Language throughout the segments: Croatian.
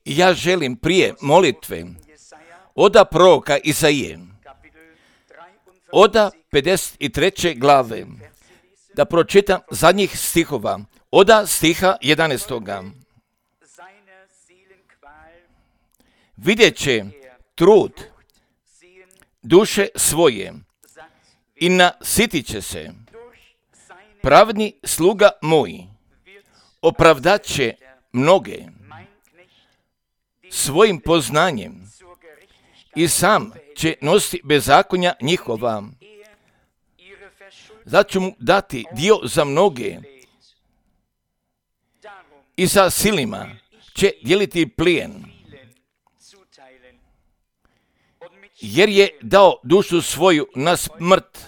I ja želim prije molitve oda proroka Isaije, oda 53. glave, da pročitam zadnjih stihova, oda stiha 11. Vidjet će trud duše svoje i nasitit će se. Pravni sluga moj opravdat će mnoge svojim poznanjem i sam će nositi bezakonja njihova. Zato ću mu dati dio za mnoge i sa silima će dijeliti plijen, jer je dao dušu svoju na smrt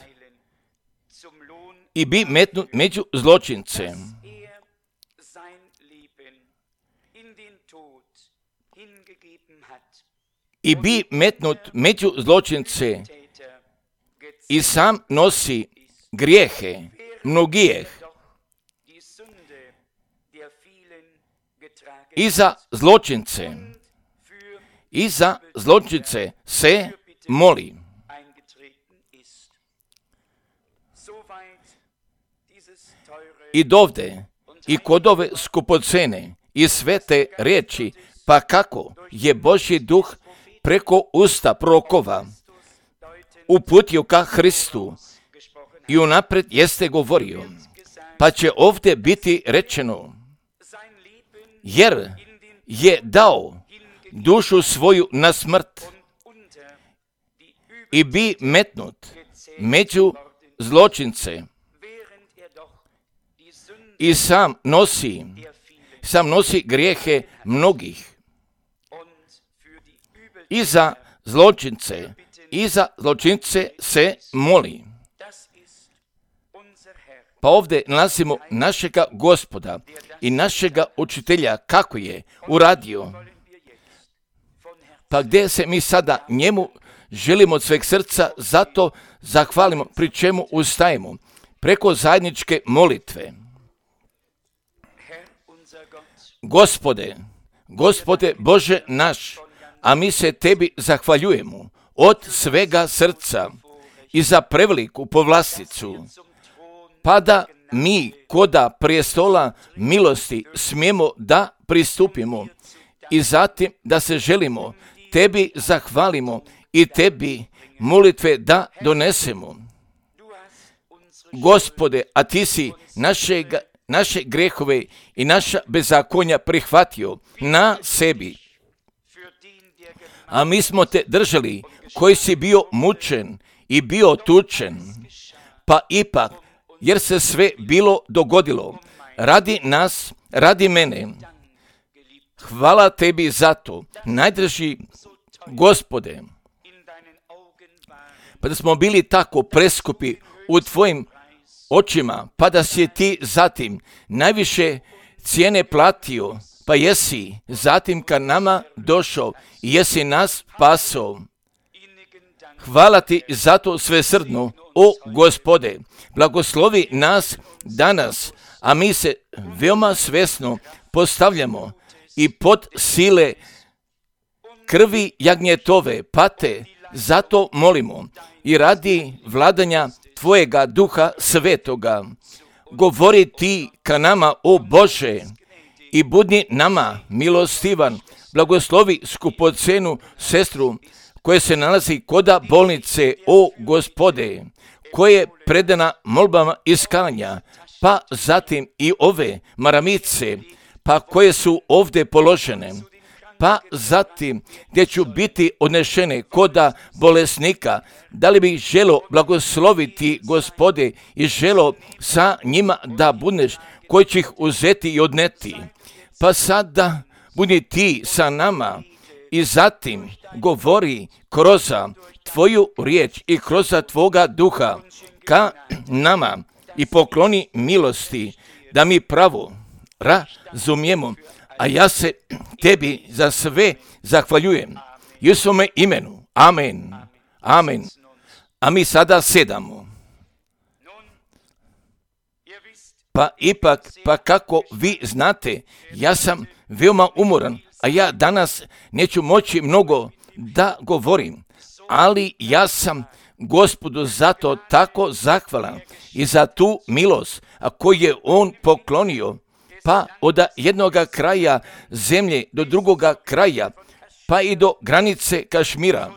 i bi metnut među zločince. I bi metnut među zločince i sam nosi grijehe mnogijeh. I za zločince se moli. I dovde i kod ove skupocene i svete riječi, pa kako je Božji duh preko usta prorokova uputio ka Hristu i unaprijed jeste govorio, pa će ovdje biti rečeno, jer je dao dušu svoju na smrt i bi metnut među zločince i sam nosi grijehe mnogih. I za zločince se moli. Pa ovdje nalazimo našega Gospoda i našega učitelja kako je uradio. Pa gdje se mi sada njemu želimo od sveg srca zato zahvalimo, pri čemu ustajemo preko zajedničke molitve. Gospode Bože naš, a mi se tebi zahvaljujemo od svega srca i za preveliku povlasticu, pa da mi koda prijestola milosti smijemo da pristupimo i zatim da se želimo tebi zahvalimo i tebi molitve da donesemo. Gospode, a ti si naše grehove i naša bezakonja prihvatio na sebi. A mi smo te držali, koji si bio mučen i bio tučen, pa ipak, jer se sve bilo dogodilo, radi nas, radi mene. Hvala tebi za to, najdraži Gospode, pa da smo bili tako preskupi u tvojim očima, pa da si ti zatim najviše cijene platio, pa jesi zatim ka nama došao i jesi nas spasao. Hvala ti za to svesrdno, o Gospode, blagoslovi nas danas, a mi se veoma svesno postavljamo i pod sile krvi jagnjetove pate, zato molimo i radi vladanja tvojega duha svetoga. Govori ti ka nama, o Bože, i budi nama milostivan. Blagoslovi skupocenu sestru koja se nalazi koda bolnice, o Gospode, koja je predana molbama iskanja, pa zatim i ove maramice, pa koje su ovdje položene, pa zatim gdje ću biti odnešene koda bolesnika. Da li bih želo blagosloviti, Gospode, i želo sa njima da budeš koji će ih uzeti i odneti. Pa sada budi ti sa nama i zatim govori kroz tvoju riječ i kroz tvoga duha ka nama i pokloni milosti da mi pravo razumijemo. A ja se tebi za sve zahvaljujem. Jesome imenu. Amen. Amen. A mi sada sedamo. Pa ipak, pa kako vi znate, ja sam veoma umoran, a ja danas neću moći mnogo da govorim, ali ja sam Gospodu zato tako zahvalan i za tu milost koju je on poklonio, pa od jednoga kraja zemlje do drugoga kraja, pa i do granice Kašmira,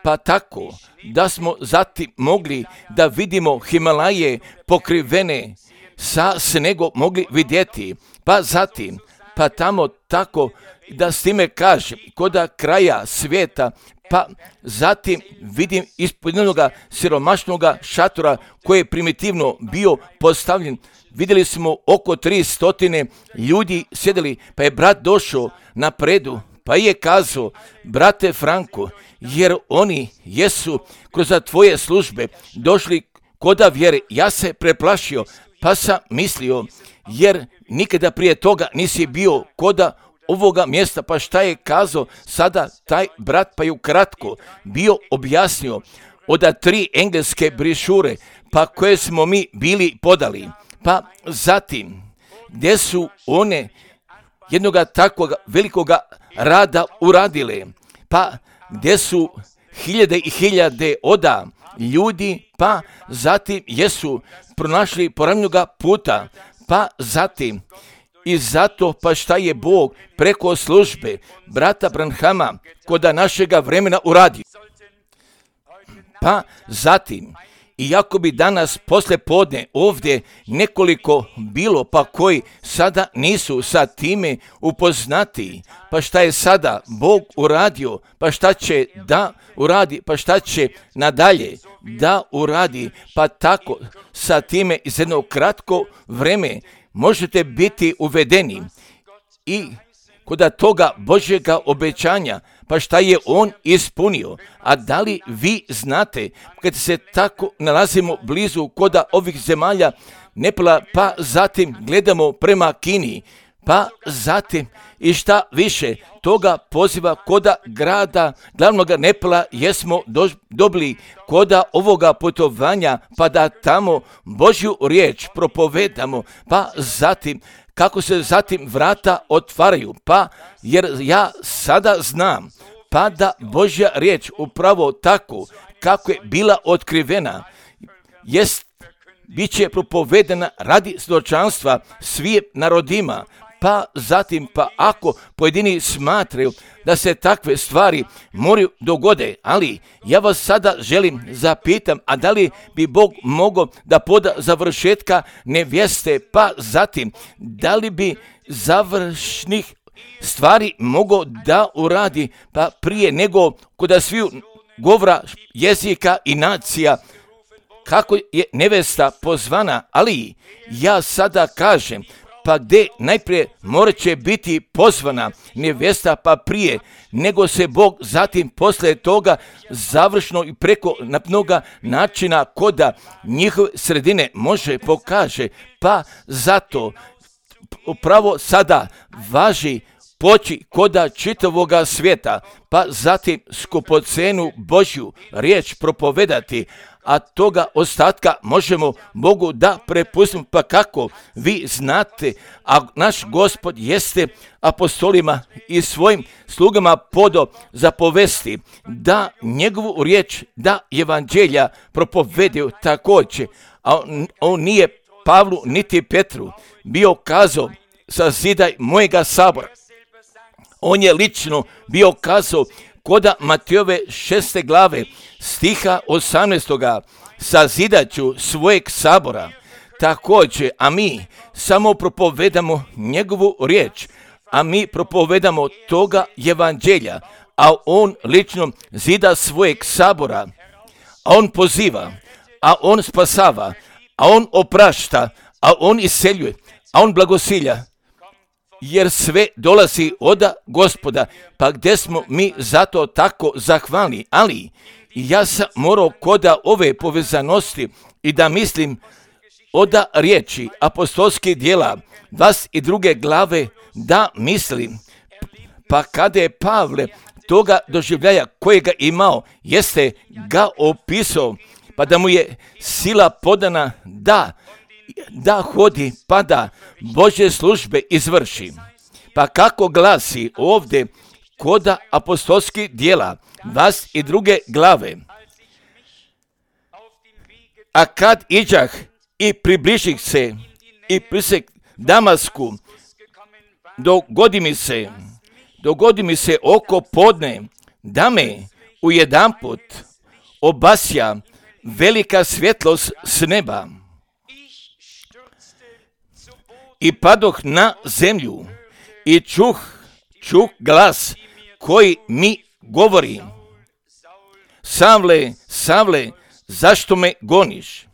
pa tako da smo zatim mogli da vidimo Himalaje pokrivene sa snegom mogli vidjeti, pa zatim, pa tamo tako da s time kažem, koda kraja svijeta, pa zatim vidim ispod jednog siromašnog šatora koji je primitivno bio postavljen. Vidjeli smo oko 300 ljudi sjedili, pa je brat došao napredu, pa je kazao, brate Franko, jer oni jesu kroz tvoje službe došli koda vjere. Ja se preplašio, pa sam mislio, jer nikada prije toga nisi bio koda ovoga mjesta, pa šta je kazao sada taj brat, pa je ukratko bio objasnio od 3 engleske brišure, pa koje smo mi bili podali, pa zatim gdje su one jednoga takvog velikoga rada uradile, pa gdje su hiljade i hiljade oda ljudi, pa zatim jesu pronašli poravnjoga puta, pa zatim i zato pa šta je Bog preko službe brata Branhama koda našega vremena uradio. Pa zatim, iako bi danas posle podne ovdje nekoliko bilo, pa koji sada nisu sa time upoznati, pa šta je sada Bog uradio, pa šta će da uradi, pa šta će nadalje da uradi, pa tako sa time iz jednog kratko vreme možete biti uvedeni i kod toga Božjega obećanja, pa šta je on ispunio. A da li vi znate, kad se tako nalazimo blizu koda ovih zemalja Nepala, pa zatim gledamo prema Kini, pa zatim i šta više toga poziva koda grada glavnog Nepala jesmo dobili koda ovoga putovanja, pa da tamo Božju riječ propovedamo, pa zatim kako se zatim vrata otvaraju, pa jer ja sada znam, pa da Božja riječ upravo tako kako je bila otkrivena, bit će propovedena radi svjedočanstva svim narodima, pa zatim, pa ako pojedini smatraju da se takve stvari moraju dogode, ali ja vas sada želim zapitam, a da li bi Bog mogao da poda završetka nevjeste, pa zatim, da li bi završnih stvari mogao da uradi, pa prije nego kod sviju govora jezika i nacija, kako je nevesta pozvana, ali ja sada kažem, pa gdje najprije morat će biti pozvana nevjesta, pa prije nego se Bog zatim poslije toga završno i preko mnoga načina koda njihove sredine može pokaže, pa zato upravo sada važi poći koda čitavoga svijeta, pa zatim skupocenu Božju riječ propovedati, a toga ostatka možemo Bogu da prepustimo, pa kako vi znate, a naš Gospod jeste apostolima i svojim slugama podo zapovesti da njegovu riječ, da evanđelja propovedio također, a on nije Pavlu niti Petru bio kazao sazidaj mojega sabora. On je lično bio kazao koda Matejove 6. glave stiha 18. sazidaću svojeg sabora. Također, a mi samo propovedamo njegovu riječ, a mi propovedamo toga evanđelja, a on lično zida svojeg sabora, a on poziva, a on spasava, a on oprašta, a on iseljuje, a on blagosilja, jer sve dolazi od Gospoda, pa gdje smo mi zato tako zahvalni, ali ja sam morao koda ove povezanosti i da mislim od riječi apostolskih djela 22. glave da mislim, pa kada je Pavle toga doživljaja kojega imao, jeste ga opisao, pa da mu je sila podana da da hodi pa da Božje službe izvrši. Pa kako glasi ovdje koda apostolskih djela, vas i druge glave. A kad iđah i približih se i prisek Damasku, dogodi mi se oko podne, da me ujedanput obasja velika svjetlost s neba. I padoh na zemlju i čuh glas koji mi govori: Savle, Savle, zašto me goniš?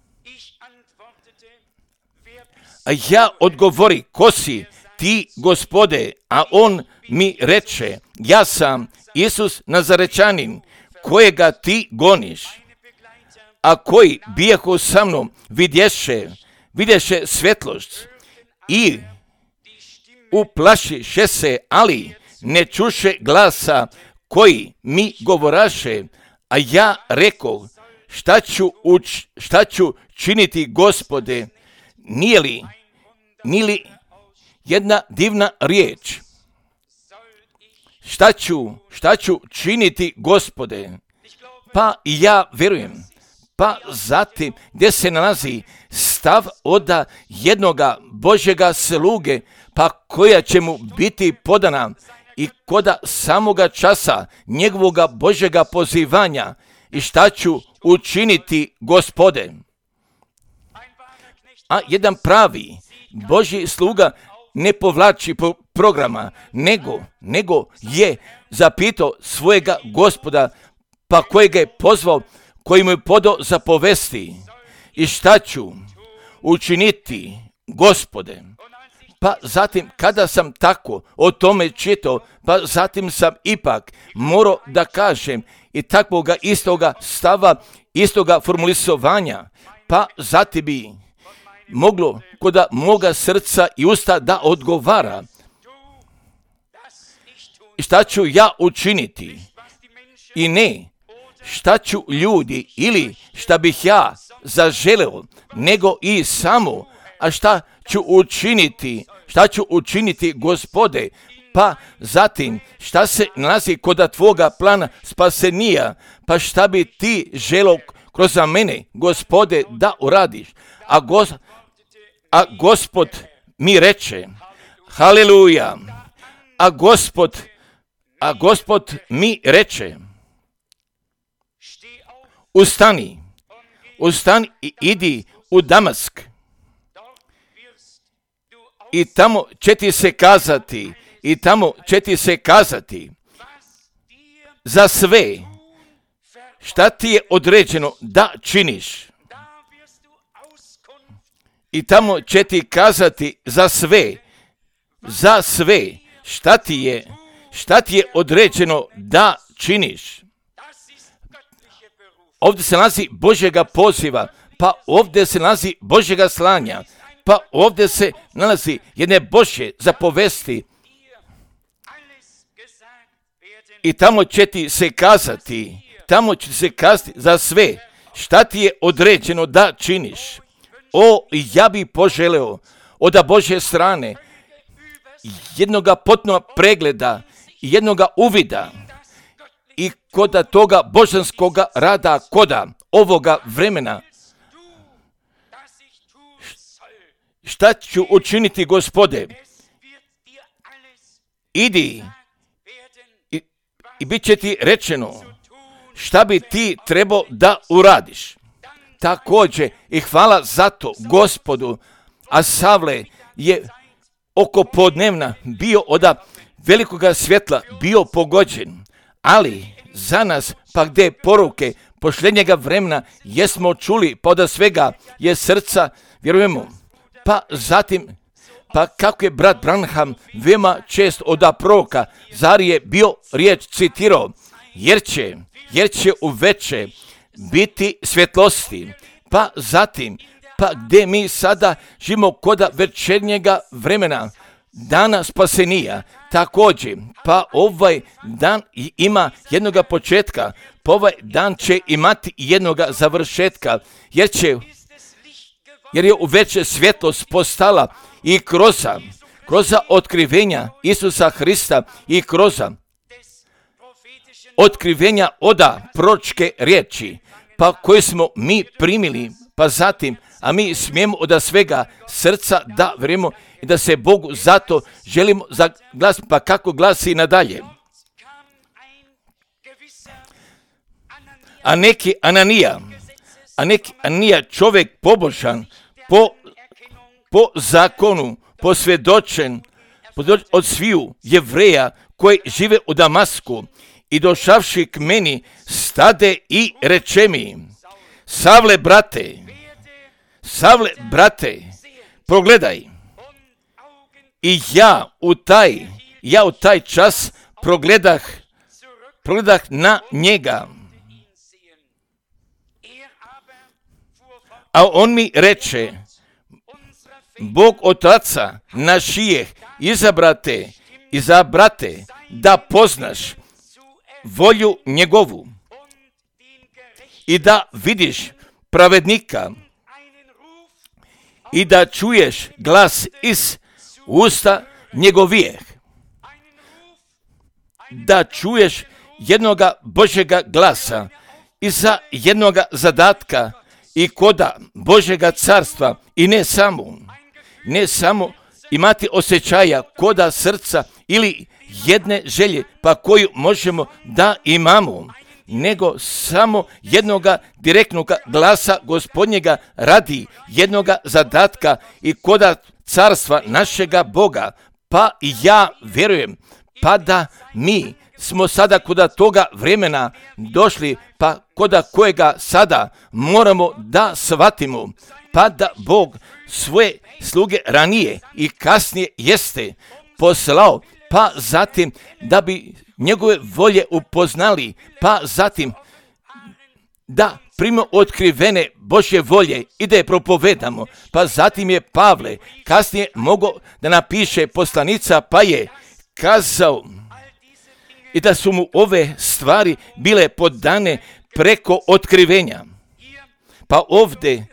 A ja odgovori: ko si ti, Gospode? A on mi reče: ja sam Isus Nazarečanin, kojega ti goniš. A koji bijahu sa mnom vidješe svjetlost i uplašiše se, ali ne čuše glasa koji mi govoraše. A ja rekoh: šta ću činiti, Gospode? Nije li jedna divna riječ? Šta ću činiti, Gospode? Pa ja vjerujem. Pa zatim gdje se nalazi stav od jednoga Božjega sluge, pa koja će mu biti podana i koda samoga časa njegovoga Božjega pozivanja. I šta ću učiniti, Gospode? A jedan pravi Božji sluga ne povlači programa, nego je zapitao svojega Gospoda, pa kojega je pozvao, koji mu je podao zapovesti. I šta ću učiniti, Gospode? Pa zatim, kada sam tako o tome čitao, pa zatim sam ipak morao da kažem i takvoga istoga stava, istoga formulisovanja, pa zatim bi moglo kod moga srca i usta da odgovara. Šta ću ja učiniti? I ne šta ću ljudi ili šta bih ja zaželeo, nego i samo, a šta ću učiniti, Gospode? Pa zatim, šta se nalazi kod tvoga plana spasenija, pa šta bi ti želeo kroz mene, Gospode, da uradiš? A Gospod mi reče: haleluja, a Gospod mi reče: ustani i idi u Damask. I tamo će ti se kazati za sve šta ti je određeno da činiš. I tamo će ti kazati za sve šta ti je određeno da činiš. Ovdje se nalazi Božjega poziva, pa ovdje se nalazi Božjega slanja, pa ovdje se nalazi jedne Božje zapovesti. I tamo će ti se kazati za sve šta ti je određeno da činiš. Ja bi poželeo od Božje strane jednoga potpunog pregleda, jednoga uvida i kod toga božanskoga rada, koda ovoga vremena. Šta ću učiniti, Gospode? Idi i bit će ti rečeno šta bi ti trebao da uradiš. Također i hvala za to Gospodu, a Savle je oko podnevna bio od velikoga svjetla bio pogođen, ali za nas pa gdje poruke posljednjega vremena jesmo čuli, pa od svega je srca, vjerujemo. Pa zatim, pa kako je brat Branham veoma čest od proroka, zar je bio riječ citirao, jer će uveče biti svjetlosti. Pa zatim, pa gdje mi sada živimo kod večernjega vremena, dana spasenija, također, pa ovaj dan ima jednoga početka, pa ovaj dan će imati jednoga završetka, jer će jer je u veće svjetlost postala i kroz otkrivenja Isusa Hrista i kroz otkrivenja oda proročke riječi, pa koje smo mi primili, pa zatim, a mi smijemo od svega srca da vjerujemo i da se Bogu zato želimo zaglasiti, pa kako glasi nadalje. A neki Ananija, čovjek pobožan, po zakonu, posvjedočen od sviju Jevreja koji žive u Damasku, i došavši k meni, stade i reče mi: Savle, progledaj. I ja u taj čas progledah na njega. A on mi reče: Bog Otaca našijeh izabrate da poznaš volju njegovu i da vidiš pravednika i da čuješ glas iz usta njegovijeh, da čuješ jednoga Božjega glasa iza jednoga zadatka i koda Božjega carstva, i ne samo imati osjećaja koda srca ili jedne želje pa koju možemo da imamo, nego samo jednoga direktnog glasa Gospodnjega radi jednoga zadatka i koda carstva našega Boga. Pa ja vjerujem, pa da mi smo sada koda toga vremena došli, pa koda kojega sada moramo da shvatimo, pa da Bog svoje sluge ranije i kasnije jeste poslao, pa zatim da bi njegove volje upoznali, pa zatim da primimo otkrivene Božje volje i da je propovedamo. Pa zatim je Pavle kasnije mogao da napiše poslanica, pa je kazao i da su mu ove stvari bile podane preko otkrivenja. Pa ovdje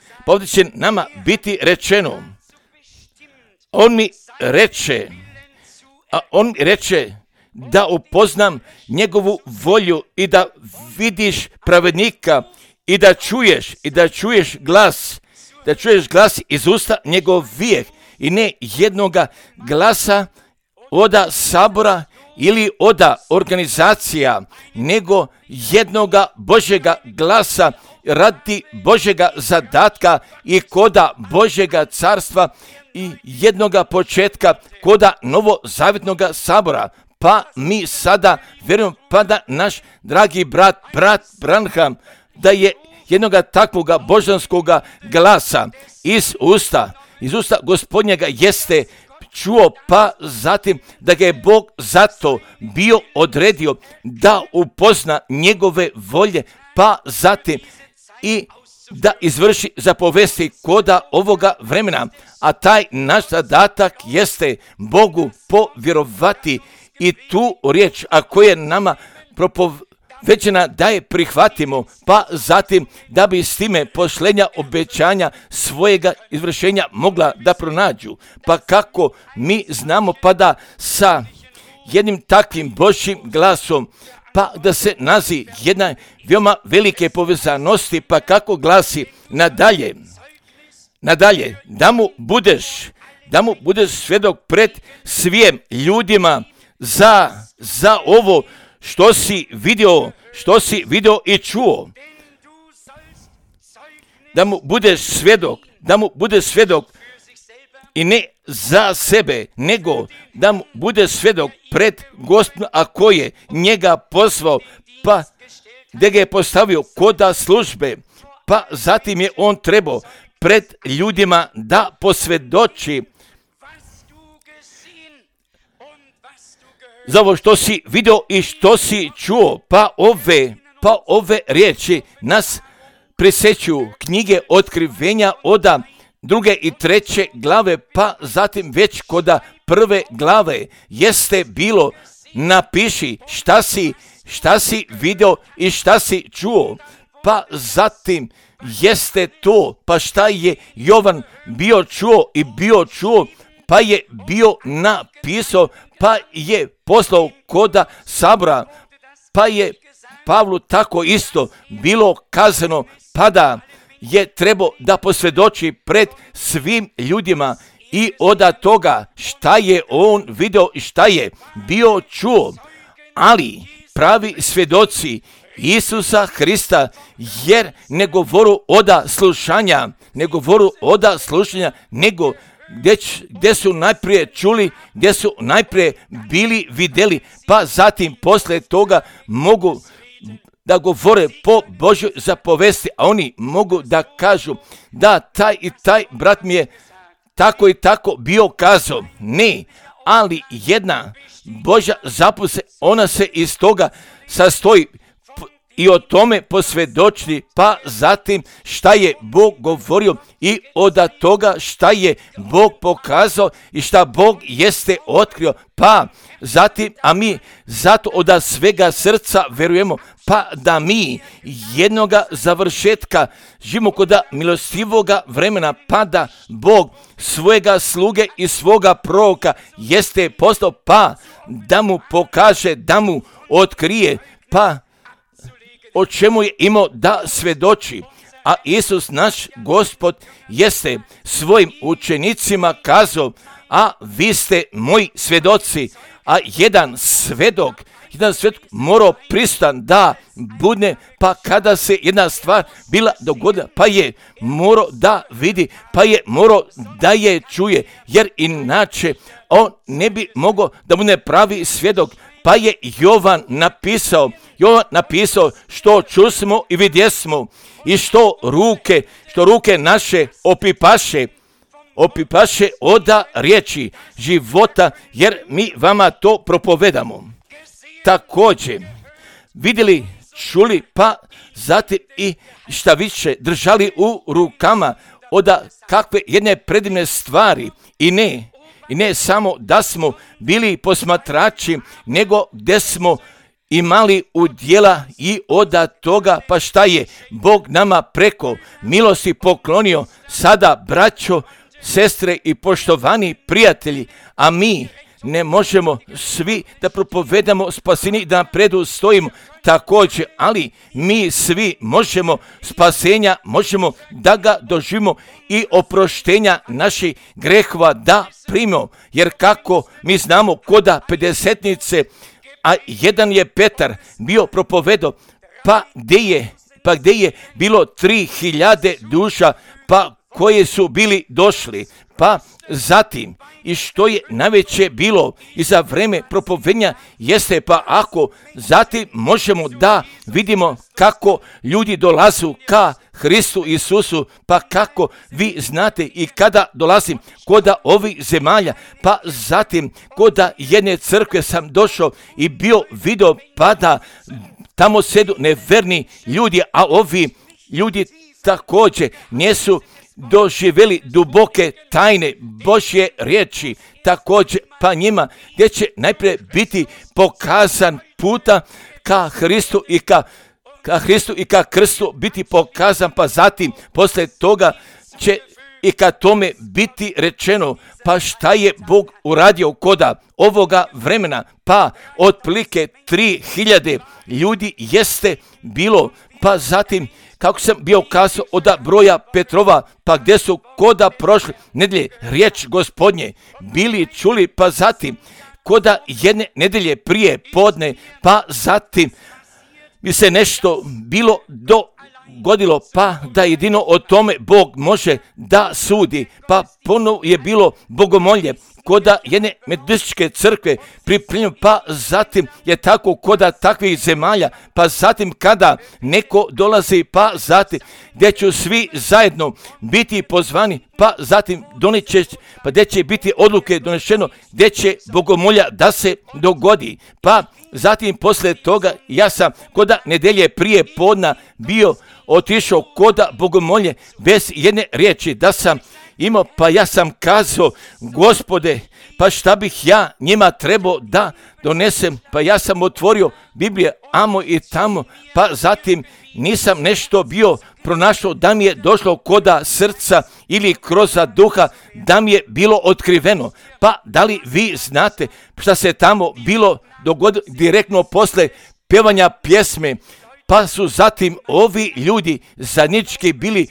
će nama biti rečeno, on mi reče da upoznam njegovu volju i da vidiš pravednika i da čuješ glas iz usta njegovijeh, i ne jednoga glasa oda sabora ili oda organizacija, nego jednoga Božjega glasa radi Božjega zadatka i koda Božjega carstva i jednoga početka koda novozavjetnoga sabora. Pa mi sada vjerujemo, pa da naš dragi brat Branham, da je jednoga takvoga božanskoga glasa iz usta Gospodnjega jeste čuo, pa zatim da ga je Bog zato bio odredio da upozna njegove volje, pa zatim i da izvrši zapovesti koda ovoga vremena. A taj naš zadatak jeste Bogu povjerovati i tu riječ, a koja je nama propovećena da je prihvatimo, pa zatim da bi s time posljednja obećanja svojega izvršenja mogla da pronađu. Pa kako mi znamo, pa da sa jednim takvim Božjim glasom, pa da se nazi jedna veoma velike povezanosti, pa kako glasi nadalje, da mu budeš svjedok pred svim ljudima za ovo što si vidio i čuo. Da mu budeš svjedok i ne za sebe, nego da mu bude svjedok pred Gospodom, a ko je njega poslao, pa da ga je postavio koda službe, pa zatim je on trebao pred ljudima da posvjedoči za ovo što si vidio i što si čuo. Pa ove riječi nas prisjećuju knjige otkrivenja oda 2. i 3. glave, pa zatim već koda 1. glave jeste bilo napiši šta si vidio i šta si čuo. Pa zatim jeste to, pa šta je Jovan bio čuo, pa je bio napisao, pa je poslao koda sabora, pa je Pavlu tako isto bilo kazano, pa da je trebao da posvjedoči pred svim ljudima i od toga šta je on video i šta je bio čuo. Ali pravi svjedoci Isusa Hrista, jer ne govoru oda slušanja, nego gdje su najprije čuli, gdje su najprije bili vidjeli, pa zatim poslije toga mogu da govore po Božjoj zapovesti, a oni mogu da kažu da taj i taj brat mi je tako i tako bio kazao. Ne, ali jedna Božja zapovest, ona se iz toga sastoji i o tome posvjedočiti, pa zatim šta je Bog govorio i od toga šta je Bog pokazao i šta Bog jeste otkrio, pa zatim, a mi zato od svega srca verujemo, pa da mi jednoga završetka živimo kod milostivoga vremena, pa da Bog svojega sluge i svoga proroka jeste poslao, pa da mu pokaže, da mu otkrije, pa o čemu je imao da svjedoči. A Isus naš Gospod jeste svojim učenicima kazao, a vi ste moji svjedoci. A jedan svjedok morao prisutan da bude, pa kada se jedna stvar bila dogodila, pa je morao da vidi, pa je morao da je čuje, jer inače on ne bi mogao da bude pravi svjedok. Pa je Jovan napisao što čusmo i vidjesmo i što ruke naše opipaše od riječi života, jer mi vama to propovedamo. Također vidjeli, čuli, pa zatim i šta više držali u rukama od kakve jedne predivne stvari i ne samo da smo bili posmatrači, nego gdje smo imali udjela i od toga, pa šta je Bog nama preko milosti poklonio, sada braćo, sestre i poštovani prijatelji, a mi ne možemo svi da propovedamo spasenje i da predu stojimo također, ali mi svi možemo spasenja, možemo da ga doživimo i oproštenja naših grehova da primimo, jer kako mi znamo koda pedesetnice, a jedan je Petar bio propovedao, pa gdje je bilo 3000 duša, pa koje su bili došli, pa zatim i što je najveće bilo i za vreme propovednja jeste, pa ako zatim možemo da vidimo kako ljudi dolazu ka Hristu Isusu, pa kako vi znate i kada dolazim koda ovih zemalja, pa zatim koda jedne crkve sam došao i bio video, pa da tamo sedu neverni ljudi, a ovi ljudi također nisu doživjeli duboke tajne Božje riječi, također pa njima gdje će najprije biti pokazan puta ka Hristu i ka krstu biti pokazan, pa zatim poslije toga će i ka tome biti rečeno, pa šta je Bog uradio koda ovoga vremena, pa otprilike 3000 ljudi jeste bilo, pa zatim kako sam bio kazao od broja Petrova, pa gdje su koda prošli nedjelje riječ Gospodnje bili čuli, pa zatim koda jedne nedjelje prije podne, pa zatim bi se nešto bilo dogodilo, pa da jedino o tome Bog može da sudi, pa ponovo je bilo bogomolje koda jedne metodističke crkve pripremljeno, pa zatim je tako koda takvih zemalja, pa zatim kada neko dolazi, pa zatim gdje će svi zajedno biti pozvani, pa zatim pa gdje će biti odluke donešeno, gdje će bogomolja da se dogodi, pa zatim poslije toga ja sam koda nedjelje prije podna bio otišao koda bogomolje bez jedne riječi da sam imao, pa ja sam kazao, Gospode, pa šta bih ja njima trebao da donesem, pa ja sam otvorio Biblije amo i tamo, pa zatim nisam nešto bio pronašao, da mi je došlo koda srca ili kroz duha, da mi je bilo otkriveno. Pa da li vi znate šta se tamo bilo dogodilo direktno posle pjevanja pjesme? Pa su zatim ovi ljudi zajednički bili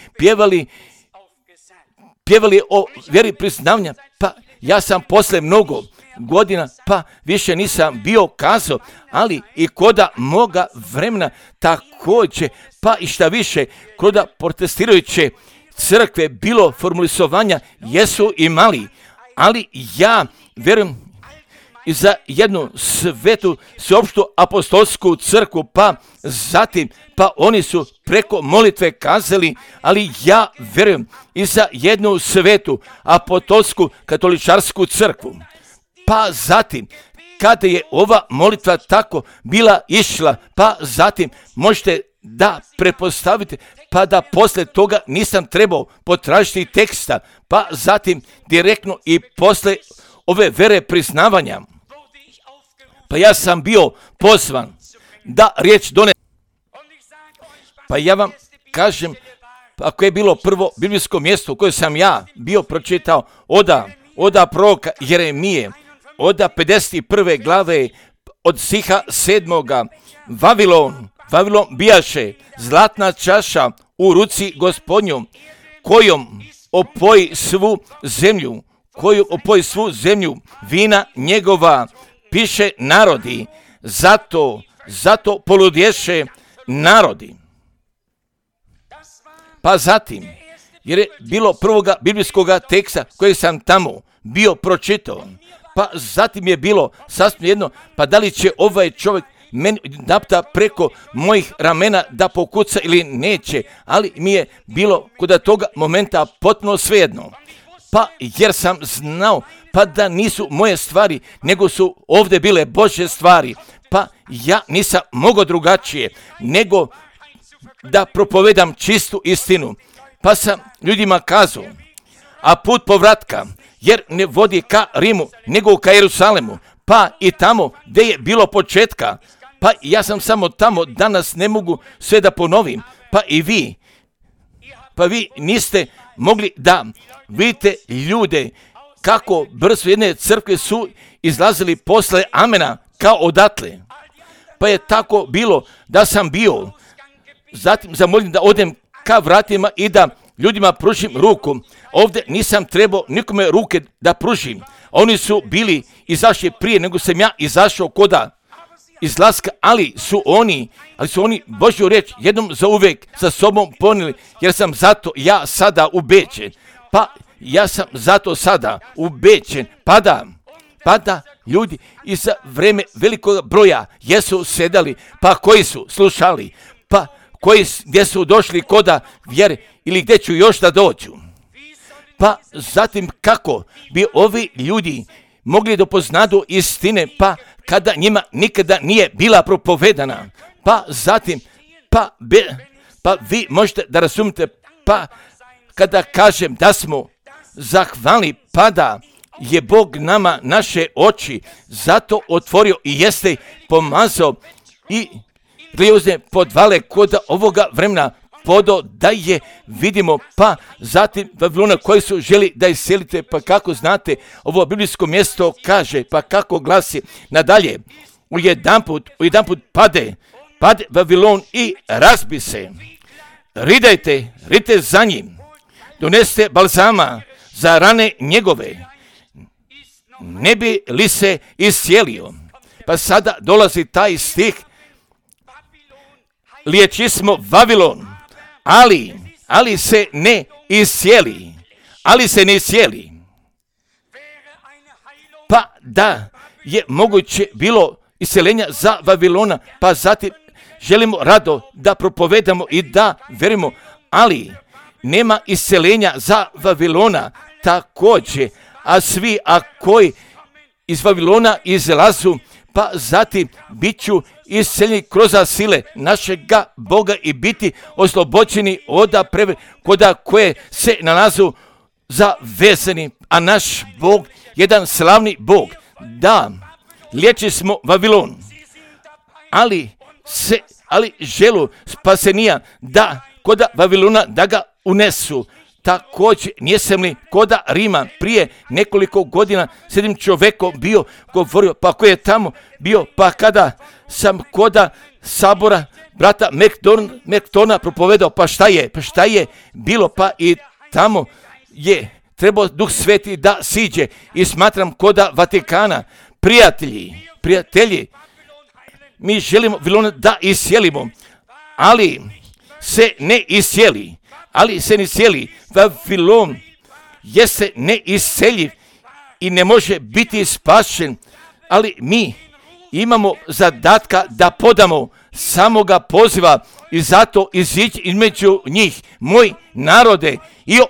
pjevali o vjeri priznavanja. Pa ja sam posle mnogo godina, pa više nisam bio kazao, ali i koda moga vremena također, pa i šta više, koda protestirajuće crkve bilo formulizovanja, jesu imali, ali ja vjerujem i za jednu svetu sveopštu apostolsku crkvu, pa zatim, pa oni su preko molitve kazali, ali ja vjerujem i za jednu svetu apostolsku katoličarsku crkvu. Pa zatim, kada je ova molitva tako bila išla, pa zatim možete da prepostavite, pa da posle toga nisam trebao potražiti teksta, pa zatim direktno i posle ove vere priznavanja, pa ja sam bio pozvan da riječ donesem. Pa ja vam kažem, ako je bilo prvo biblijsko mjesto u koje sam ja bio pročitao oda proroka Jeremije, oda 51. glave od stiha 7. Vavilon bijaše zlatna čaša u ruci Gospodnjom, kojom opoji svu zemlju vina njegova, piše narodi, zato poludješe narodi. Pa zatim, jer je bilo prvoga biblijskoga teksta koji sam tamo bio pročitao, pa zatim je bilo sasvim jedno, pa da li će ovaj čovjek meni napta preko mojih ramena da pokuca ili neće, ali mi je bilo kod toga momenta potpuno svejedno. Pa jer sam znao pa da nisu moje stvari, nego su ovdje bile Božje stvari, pa ja nisam mogao drugačije nego da propovedam čistu istinu. Pa sam ljudima kazao, a put povratka, jer ne vodi ka Rimu, nego ka Jerusalemu, pa i tamo gdje je bilo početka, pa ja sam samo tamo, danas ne mogu sve da ponovim, pa i vi, pa vi niste mogli da vidite ljude kako brzo jedne crkve su izlazili posle amena kao odatle. Pa je tako bilo da sam bio, zatim zamolim da odem ka vratima i da ljudima pružim ruku. Ovdje nisam trebao nikome ruke da pružim. Oni su bili izašli prije nego sam ja izašao koda izlaska, ali su oni Božju riječ jednom za uvijek sa sobom ponijeli, jer sam zato ja sada ubeđen. Pa ja sam zato sada ubeđen, pa da ljudi i za vreme velikog broja jesu sedali, pa koji su slušali, pa gdje su došli koda vjere ili gdje ću još da dođu. Pa zatim kako bi ovi ljudi mogli da poznadu istine, pa kada njima nikada nije bila propovedana. Pa zatim, pa vi možete da razumite, pa kada kažem da smo zahvalni, pa da je Bog nama naše oči zato otvorio i jeste pomazao i glijozne podvale kod ovoga vremena podo da je vidimo, pa zatim Vavilona koji su želi da iselite, pa kako znate ovo biblijsko mjesto kaže, pa kako glasi nadalje, u jedanput pade Vavilon i razbi se. Ridajte za njim, doneste balzama za rane njegove, ne bi li se iscijelio. Pa sada dolazi taj stih, liječismo Vavilon, ali se ne iscijeli, Pa da je moguće bilo isceljenja za Vavilona, pa zatim želimo rado da propovedamo i da verimo, ali nema isceljenja za Vavilona također, a svi koji iz Vavilona izlazu, pa zatim bit ću isceljeni kroz sile našega Boga i biti oslobođeni od koda koje se nalazu zavezani, a naš Bog, jedan slavni Bog, da liječi smo Vavilon, ali želu spasenija, da koda Vavilona da ga unesu. Također, nijesam li koda Rima prije nekoliko godina s jednim čovjekom bio govorio, pa ko je tamo bio, pa kada sam koda sabora brata Mektona propovedao, pa šta je bilo, pa i tamo je trebao Duh Sveti da siđe i smatram koda Vatikana, prijatelji, mi želimo Vavilona da isjelimo, ali se ne isjeli. Vavilon jeste neiseljiv i ne može biti spašen, ali mi imamo zadatka da podamo samoga poziva i zato izići između njih, moj narode, i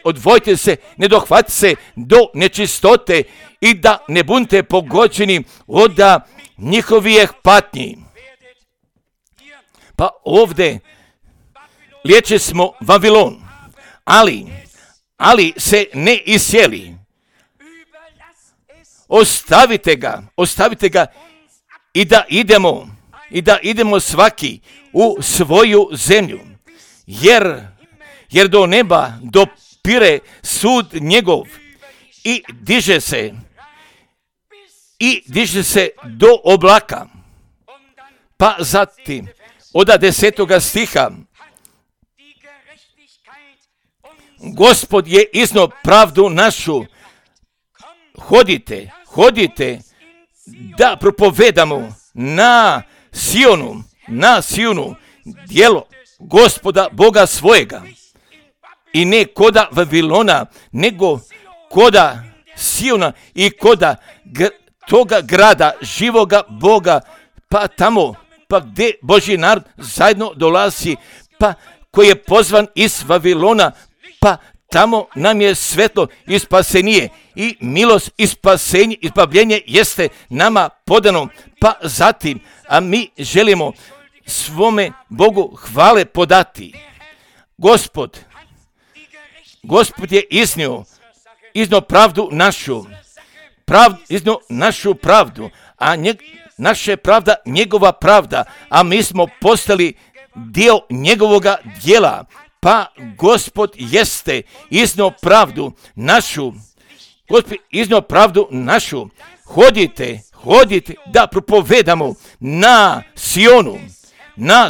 odvojite se, ne dohvati se do nečistote i da ne budete pogođeni od njihovih patnji. Pa ovdje liječe smo Vavilon, ali se ne isjeli. Ostavite ga i da idemo svaki u svoju zemlju, jer do neba dopire sud njegov i diže se do oblaka. Pa zatim od 10. stiha, Gospod je iznio pravdu našu. Hodite da propovedamo na Sionu djelo Gospoda Boga svojega. I ne koda Vavilona, nego koda Siona i koda toga grada živoga Boga, pa tamo, pa gdje Božji narod zajedno dolazi, pa koji je pozvan iz Vavilona, pa tamo nam je svetlo i spasenje i milost i spasenje i izbavljenje jeste nama podano, pa zatim, a mi želimo svome Bogu hvale podati. Gospod je iznio pravdu našu pravdu, a naša je pravda njegova pravda, a mi smo postali dio njegovoga djela. Pa Gospod jeste iznio pravdu našu. Hodite da propovedamo na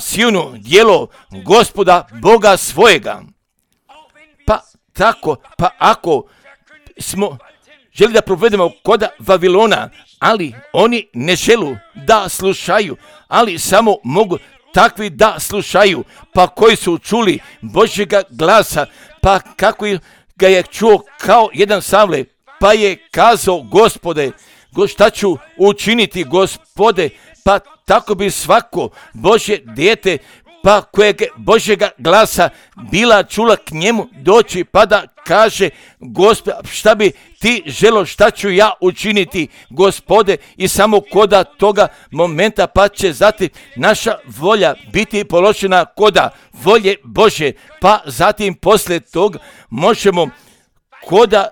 Sionu djelo Gospoda Boga svojega. Pa ako smo želi da propovedamo koda Vavilona, ali oni ne želu da slušaju, ali samo mogu takvi da slušaju, pa koji su čuli Božjega glasa, pa kako ga je čuo kao jedan Savle, pa je kazao, Gospode, šta ću učiniti, Gospode, pa tako bi svako Božje dijete, pa kojeg Božjega glasa bila čula k njemu doći, pa da kaže, Gospode, šta bi ti želo, šta ću ja učiniti, Gospode, i samo koda toga momenta, pa će zatim naša volja biti položena koda volje Božje, pa zatim poslije toga možemo koda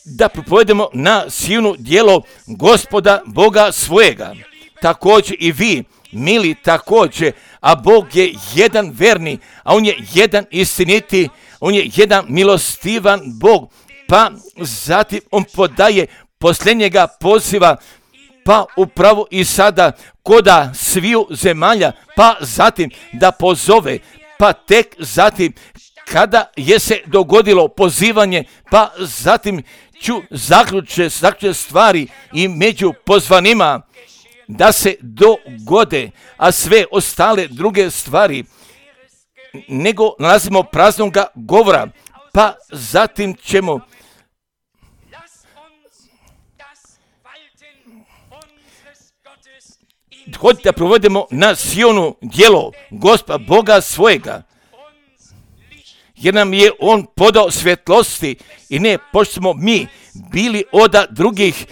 da propovedemo na Sionu djelo Gospoda Boga svojega. Također i vi, mili, također, a Bog je jedan verni, a On je jedan istiniti, On je jedan milostivan Bog, pa zatim On podaje posljednjega poziva, pa upravo i sada koda sviju zemalja, pa zatim da pozove, pa tek zatim kada je se dogodilo pozivanje, pa zatim ću zaključe stvari i među pozvanima da se dogode, a sve ostale druge stvari nego nalazimo praznoga govora, pa zatim ćemo hoditi da provodimo na Sionu djelo Gospoda Boga svojega, jer nam je On podao svjetlosti i ne pošto smo mi bili od drugih,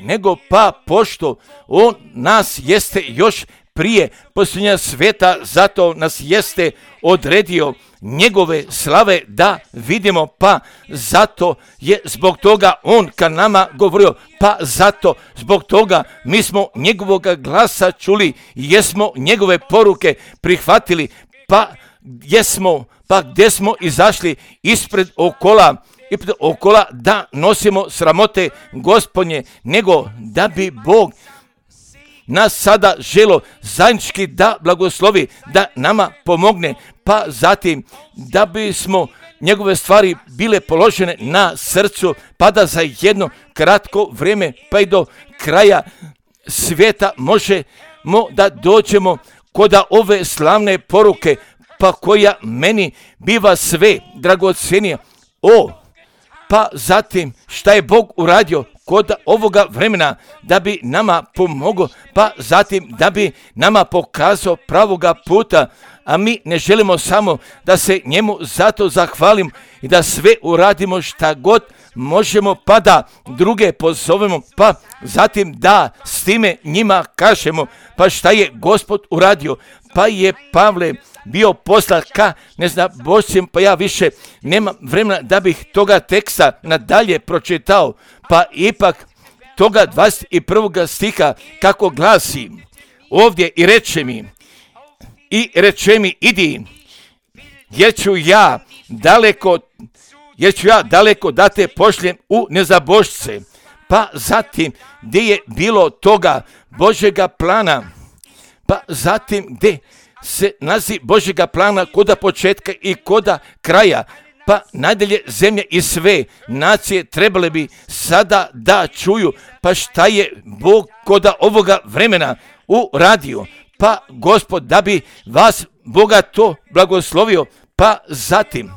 nego pa pošto On nas jeste još prije posljednja sveta, zato nas jeste odredio njegove slave da vidimo, pa zato je zbog toga On ka nama govorio, pa zato zbog toga mi smo njegovog glasa čuli i jesmo njegove poruke prihvatili, pa gdje smo izašli ispred okola da nosimo sramote Gospodnje, nego da bi Bog nas sada želo zajednički da blagoslovi, da nama pomogne, pa zatim da bismo njegove stvari bile položene na srcu, pa da za jedno kratko vrijeme, pa i do kraja svijeta možemo da dođemo kod ove slavne poruke, pa koja meni biva sve dragocjenija. Pa zatim šta je Bog uradio kod ovoga vremena da bi nama pomogao, pa zatim da bi nama pokazao pravoga puta, a mi ne želimo samo da se njemu zato zahvalim i da sve uradimo šta god možemo, pa da druge pozovemo, pa zatim da s time njima kažemo, pa šta je Gospod uradio. Pa je Pavle bio poslat ka Božcem, pa ja više nemam vremena da bih toga teksta nadalje pročitao, pa ipak toga 21. stiha kako glasi ovdje i reče mi idi, jer ću ja daleko da te pošljem u nezabožce. Pa zatim gdje je bilo toga Božjega plana, pa zatim gdje se nalazi Božjega plana koda početka i koda kraja, pa nadalje zemlje i sve nacije trebale bi sada da čuju, pa šta je Bog koda ovoga vremena uradio. Pa Gospod da bi vas bogato blagoslovio, pa zatim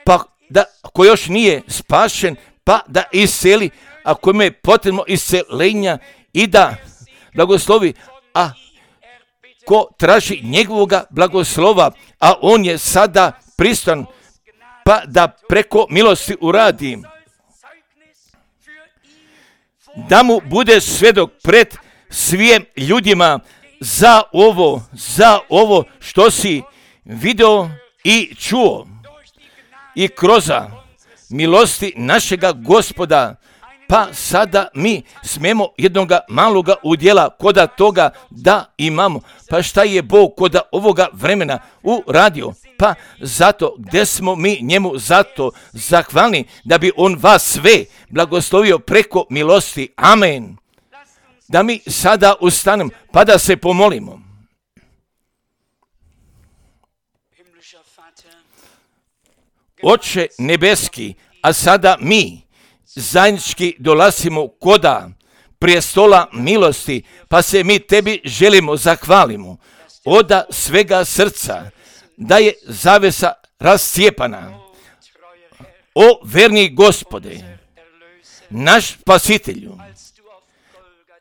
pa da ko još nije spašen, pa da iseli, a kome je potrebno iselenja i da blagoslovi, a ko traži njegovoga blagoslova, a on je sada pristan, pa da preko milosti uradi, da mu bude svjedok pred svim ljudima za ovo što si video i čuo, i kroz milosti našega Gospoda. Pa sada mi smemo jednoga maloga udjela koda toga da imamo. Pa šta je Bog koda ovoga vremena uradio? Pa zato gdje smo mi njemu zato zahvalni da bi on vas sve blagoslovio preko milosti. Amen. Da mi sada ustanemo pa da se pomolimo. Oče nebeski, a sada mi zajednički dolazimo koda prijestola milosti, pa se mi tebi želimo zahvalimo od svega srca da je zavesa rascijepana. O verni Gospode, naš spasitelju,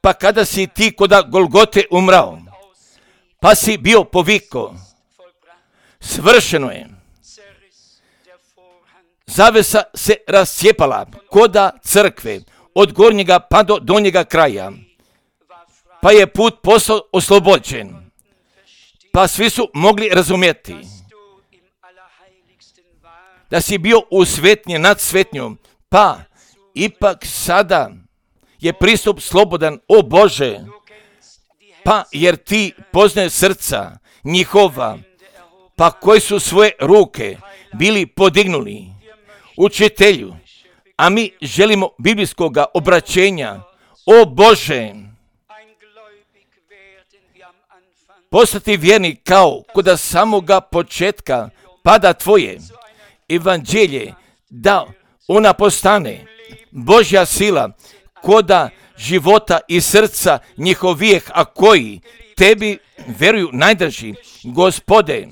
pa kada si ti koda Golgote umrao, pa si bio poviko, svršeno je. Zavesa se rascijepala koda crkve od gornjega pa do donjega kraja, pa je put postao oslobođen, pa svi su mogli razumjeti da si bio u svetnje nad svetnjom, pa ipak sada je pristup slobodan, o Bože, pa jer ti poznaje srca njihova, pa koji su svoje ruke bili podignuli učitelju, a mi želimo biblijskoga obraćenja, o Bože, postati vjerni kao kod samoga početka, pa da tvoje evanđelje, da ona postane Božja sila koda života i srca njihovijeh, a koji tebi veruju najdraži. Gospode,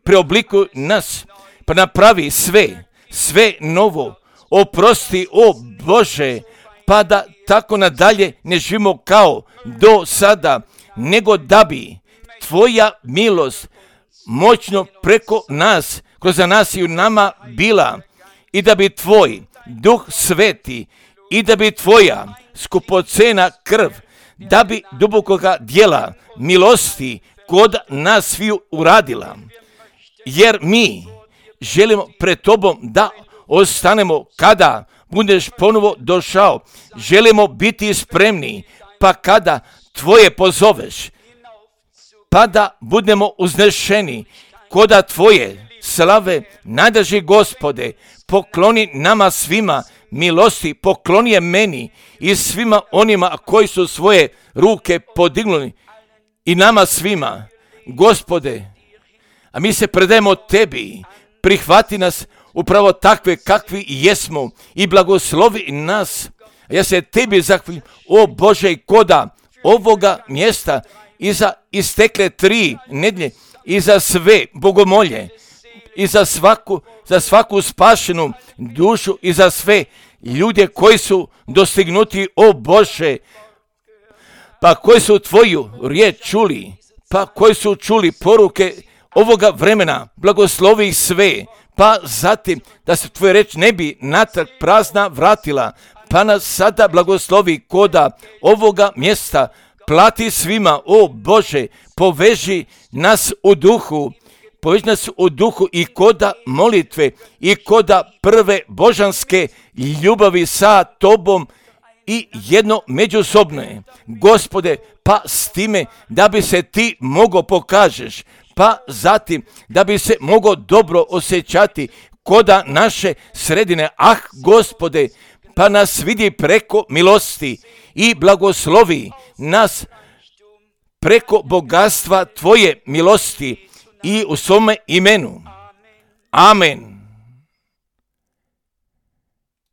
preoblikuj nas, pa napravi sve novo, oprosti, o Bože, pa da tako nadalje ne živimo kao do sada, nego da bi tvoja milost moćno preko nas, kroz nas i u nama bila, i da bi tvoj Duh Sveti, i da bi tvoja skupocena krv, da bi dubokoga djela milosti kod nas sviju uradila, jer mi želimo pred tobom da ostanemo kada budeš ponovo došao. Želimo biti spremni, pa kada tvoje pozoveš, pa da budemo uznešeni koda Tvoje slave. Najdraži Gospode, pokloni nama svima milosti, pokloni je meni i svima onima koji su svoje ruke podignuli i nama svima. Gospode, a mi se predajemo Tebi, prihvati nas upravo takve kakvi jesmo i blagoslovi nas. Ja se Tebi zahvaljujem, o Bože, koda ovoga mjesta i za istekle 3 nedjelje i za sve bogomolje i za svaku spašenu dušu i za sve ljude koji su dostignuti, o Bože, pa koji su Tvoju riječ čuli, pa koji su čuli poruke ovoga vremena, blagoslovi ih sve, pa zatim da se Tvoja reč ne bi natrag prazna vratila, pa nas sada blagoslovi koda ovoga mjesta, plati svima, o Bože, poveži nas u duhu i koda molitve i koda prve božanske ljubavi sa Tobom i jedno međusobno je. Gospode, pa s time da bi se Ti mogo pokažeš, pa zatim da bi se mogo dobro osjećati koda naše sredine. Gospode, pa nas vidi preko milosti i blagoslovi nas preko bogatstva Tvoje milosti i u svome imenu. Amen.